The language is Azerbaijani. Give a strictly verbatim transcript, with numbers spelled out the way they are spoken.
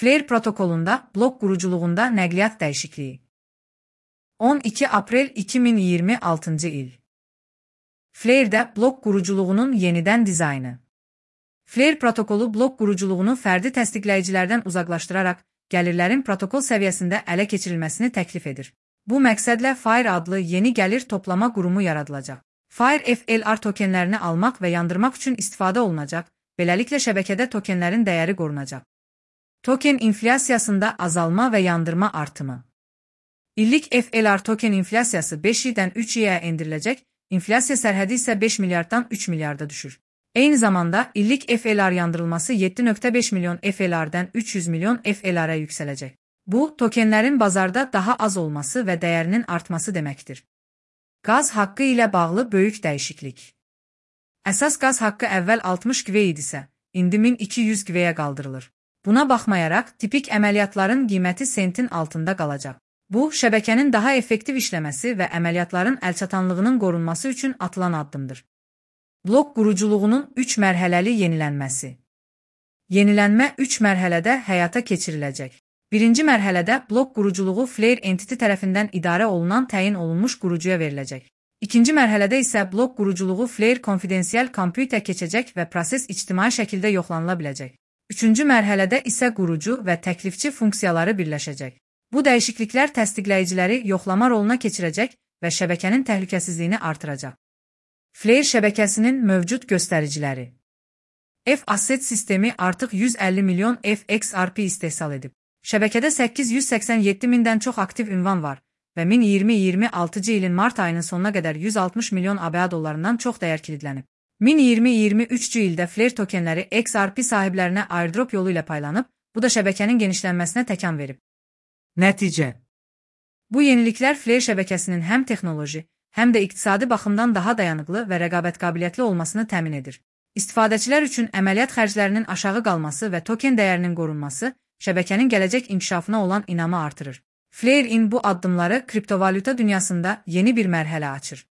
Flare protokolunda blok quruculuğunda nəqliyyat dəyişikliyi. on iki aprel iki min iyirmi altıncı il. Flare'də blok quruculuğunun yenidən dizaynı. Flare protokolu blok quruculuğunu fərdi təsdiqləyicilərdən uzaqlaşdıraraq gəlirlərin protokol səviyyəsində ələ keçirilməsini təklif edir. Bu məqsədlə Fire adlı yeni gəlir toplama qurumu yaradılacaq. Fire F L R tokenlərini almaq və yandırmaq üçün istifadə olunacaq, beləliklə şəbəkədə tokenlərin dəyəri qorunacaq. Token inflyasiyasında azalma və yandırma artımı. İllik F L R token inflyasiyası beş idən üç i-yə endiriləcək, inflyasiya sərhədi isə beş milyarddan üç milyarda düşür. Eyni zamanda illik F L R yandırılması yeddi nöqtə beş milyon F L R-dən üç yüz milyon F L R-ə yüksələcək. Bu, tokenlərin bazarda daha az olması və dəyərinin artması deməkdir. Qaz haqqı ilə bağlı böyük dəyişiklik. Əsas qaz haqqı əvvəl altmış qivə idisə, indi min iki yüz qivəyə qaldırılır. Buna baxmayaraq, tipik əməliyyatların qiyməti sentin altında qalacaq. Bu, şəbəkənin daha effektiv işləməsi və əməliyyatların əlçatanlığının qorunması üçün atılan addımdır. Blok quruculuğunun üç mərhələli yenilənməsi. Yenilənmə üç mərhələdə həyata keçiriləcək. Birinci mərhələdə blok quruculuğu Flare Entity tərəfindən idarə olunan təyin olunmuş qurucuya veriləcək. İkinci mərhələdə isə blok quruculuğu Flare Confidential Compute-ə keçəcək və proses ictimai şəkildə yoxlanıla biləcək. Üçüncü mərhələdə isə qurucu və təklifçi funksiyaları birləşəcək. Bu dəyişikliklər təsdiqləyiciləri yoxlama roluna keçirəcək və şəbəkənin təhlükəsizliyini artıracaq. Flare şəbəkəsinin mövcud göstəriciləri. F-Asset sistemi artıq yüz əlli milyon F X R P istehsal edib. Şəbəkədə səkkiz yüz səksən yeddi mindən çox aktiv ünvan var və min iyirmi iyirmi altıncı ilin mart ayının sonuna qədər yüz altmış milyon A B A dollarından çox dəyər kilidlənib. min iyirmi iyirmi üçüncü ildə Flare tokenləri X R P sahiblərinə airdrop yolu ilə paylanıb, bu da şəbəkənin genişlənməsinə təkan verib. Nəticə. Bu yeniliklər Flare şəbəkəsinin həm texnoloji, həm də iqtisadi baxımdan daha dayanıqlı və rəqabət qabiliyyətli olmasını təmin edir. İstifadəçilər üçün əməliyyat xərclərinin aşağı qalması və token dəyərinin qorunması şəbəkənin gələcək inkişafına olan inamı artırır. Flare-in bu addımları kriptovalyuta dünyasında yeni bir mərhələ açır.